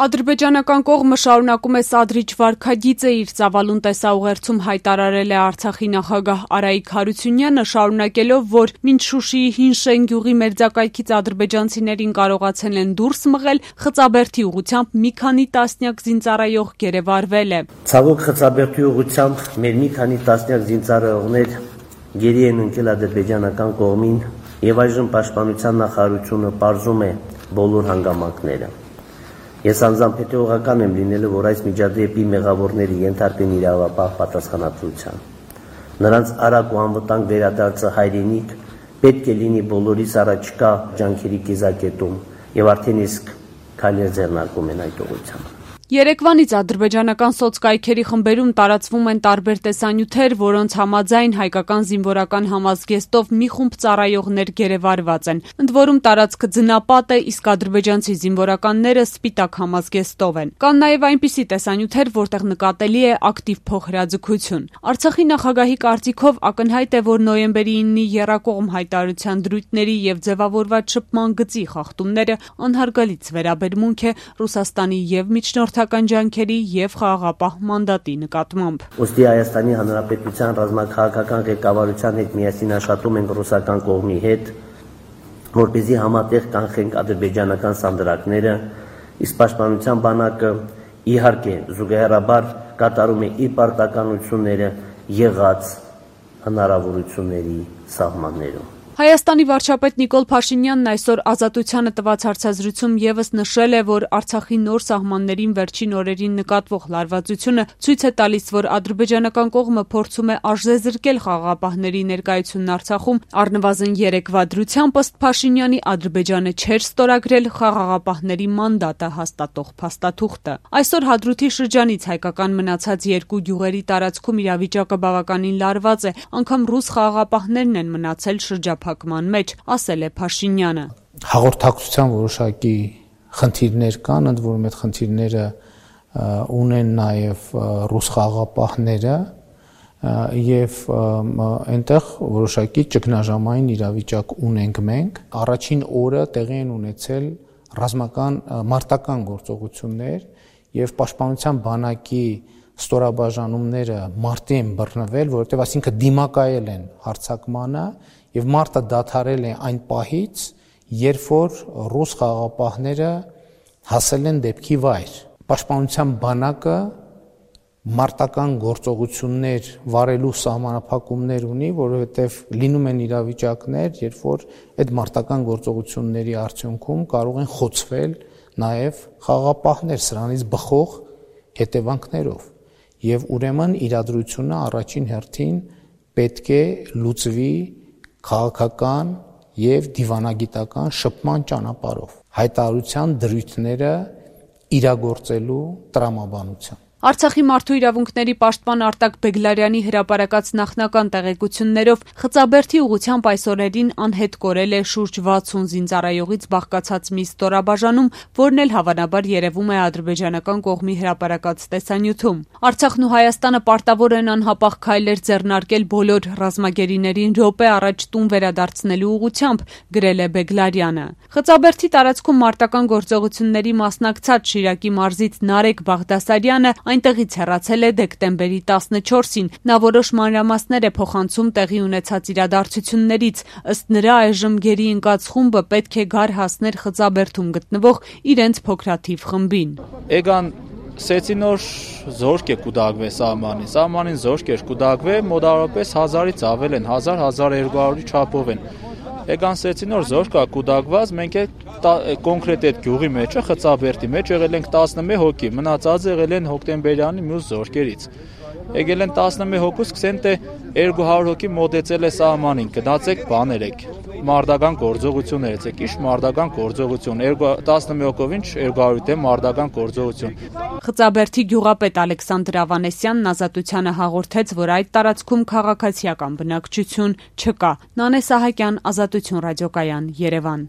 Ադրբեջանական կողմը շարունակում է սադրիչ վարքագիծը իր ծավալուն տեսաուղերձում հայտարարել է Արցախի նախագահ Արայիկ Հարությունյանը, շարունակելով, որ մինչ Շուշիի Հին Շեն գյուղի մերձակայքից ադրբեջանցիներին կարողացել են դուրս մղել, Խծաբերդի ուղղությամբ մի քանի տասնյակ զինծառայող գերեվարվել է։ Ցավոք Խծաբերդի ուղղությամբ մեր մի քանի տասնյակ զինծառայողներ գերի են ընկել ադրբեջանական կողմին եւ այժմ պաշտպանության նախարարությունը պարզում է բոլոր հանգամանքները։ Ես անձամբ հետևողական եմ լինելու, որ այս միջադեպի մեղավորները ենթարկվեն իրավապահ պատասխանատվության։ Նրանց արագ ու անվտանգ վերադարձը հայրենիք պետք է լինի բոլորիս առաջկա ջանքերի կիզակետում եւ արդեն իսկ քայլեր ձեռնարկում են այդ ուղղությամբ։ Երեկվանից ադրբեջանական սոցկայքերի խմբերում տարածվում են տարբեր տեսանյութեր, որոնց համաձայն հայկական զինվորական համազգեստով մի խումբ ծառայողներ գերեվարված են։ Ընդ որում տարածքը ձնապատ է, իսկ ադրբեջանցի զինվորականները սպիտակ համազգեստով են։ Կան նաև այնպիսի տեսանյութեր, որտեղ նկատելի է ակտիվ փոխհրաձգություն։ Արցախի նախագահի կարծիքով ակնհայտ է, որ նոյեմբերի 9-ի եռակողմ հայտարարության դրույթների եւ ձևավորված շփման գծի խախտումները անհարգալից վերաբերմունք է Ռուսաստանի եւ միջնորդական ջանքերի եւ խաղաղապահ մանդատի նկատմամբ։ Ոստի Հայաստանի Հանրապետության ռազմաքաղաքական ղեկավարության հետ միասին աշխատում ենք ռուսական կողմի հետ, որպեսզի համատեղ կանխենք ադրբեջանական սանդրակները, իսկ պաշտպանության բանակը իհարկե զուգահեռաբար կատարում է իր պարտականությունները եղած հնարավորությունների սահմաններում։ Հայաստանի վարչապետ Նիկոլ Փաշինյանն այսօր Ազատությանը տված հարցազրույցում եւս նշել է, որ Արցախի նոր սահմաններին վերջին օրերին նկատվող լարվածությունը ցույց է տալիս, որ ադրբեջանական կողմը փորձում է արժեզրկել խաղաղապահների ներկայությունն Արցախում, առնվազն 3 վադրությամբ ըստ Փաշինյանի Ադրբեջանը չէր ստորագրել խաղաղապահների մանդատը հաստատող փաստաթուղթը։ Այսօր Հադրութի շրջանից հայկական մնացած 2 գյուղերի տարածքում իրավիճակը բավականին լարված է, անգամ ռուս խաղաղապահներն են մնացել շրջափակման մեջ, ասել է Փաշինյանը։ Հաղորդակցության որոշակի խնդիրներ կան, ընդ որում այդ խնդիրները ունեն նաև ռուս խաղաղապահները եւ այնտեղ որոշակի ճգնաժամային իրավիճակ ունենք մենք։ Առաջին օրը տեղի են ունեցել ռազմական մարտական գործողություններ եւ պաշտպանության բանակի ստորաբաժանումները մարտի են բռնվել, որովհետեւ այսինքն դիմակայել են հարձակմանը եւ մարտը դադարել է այն պահից, երբ որ ռուս խաղաղապահները հասել են դեպքի վայր։ Պաշտպանության բանակը մարտական գործողություններ վարելու սահմանափակումներ ունի, որովհետեւ լինում են իրավիճակներ, երբ որ այդ մարտական գործողությունների արդյունքում կարող են խոցվել նաեւ խաղաղապահներ սրանից բխող հետևանքներով։ Եվ ուրեմն իրադրությունը առաջին հերթին պետք է լուծվի քաղաքական եւ դիվանագիտական շփման ճանապարհով, հայտարարության դրույթները իրագործելու տրամաբանությամբ։ Արցախի մարդու իրավունքների պաշտպան Արտակ Բեգլարյանի հրապարակած նախնական տեղեկություններով Խծաբերդի ուղղությամբ այս օրերին անհետ կորել է շուրջ 60 զինծառայողից բաղկացած մի ստորաբաժանում, որն էլ հավանաբար երևում է ադրբեջանական կողմի հրապարակած տեսանյութում։ Արցախն ու Հայաստանը պարտավոր են անհապաղ քայլեր ձեռնարկել բոլոր ռազմագերիներին րոպե առաջ տուն վերադարձնելու ուղղությամբ, գրել է Բեգլարյանը։ Խծաբերդի տարածքում մարտական գործողությունների մասնակցած Շիրակի մարզից Նարեկ Բաղդասարյանը այնտեղից հեռացել է դեկտեմբերի 14-ին։ Նա որոշ մանրամասներ է փոխանցում տեղի ունեցած իրադարձություններից։ Ըստ նրա այժմ գերի ընկած խումբը պետք է գար հասներ Խծաբերդում գտնվող իրենց փոքրաթիվ խմբին։ Էգան սեցինոր զորք է կուդագվե սահմանին զորք էր կուդագվե մոտավորապես 1000-ից ավել են, 1000-1200-ի չափով են։ Էգան սեցինոր զորք է կուդագված, մենք կոնկրետ այդ գյուղի մեջը Խծաբերդի մեջ եղել ենք 11 հոգի, մնացած եղել են հոկտեմբերյանի մյուս զորքերից։ Եկել են 11 հոգու, սկսեն թե 200 հոգի մոտեցել է սահմանին, գնացեք բաներ եք, մարտական գործողություններ եք, իշ մարտական գործողություն, 11 հոգով ինչ 200-ի դեմ մարտական գործողություն։ Խծաբերդի գյուղապետ Ալեքսանդր Ավանեսյանն Ազատությանը հաղորդեց, որ այդ տարածքում քաղաքացիական բնակչություն չկա։ Նանե Սահակյան, Ազատություն ռադիոկայան, Երևան։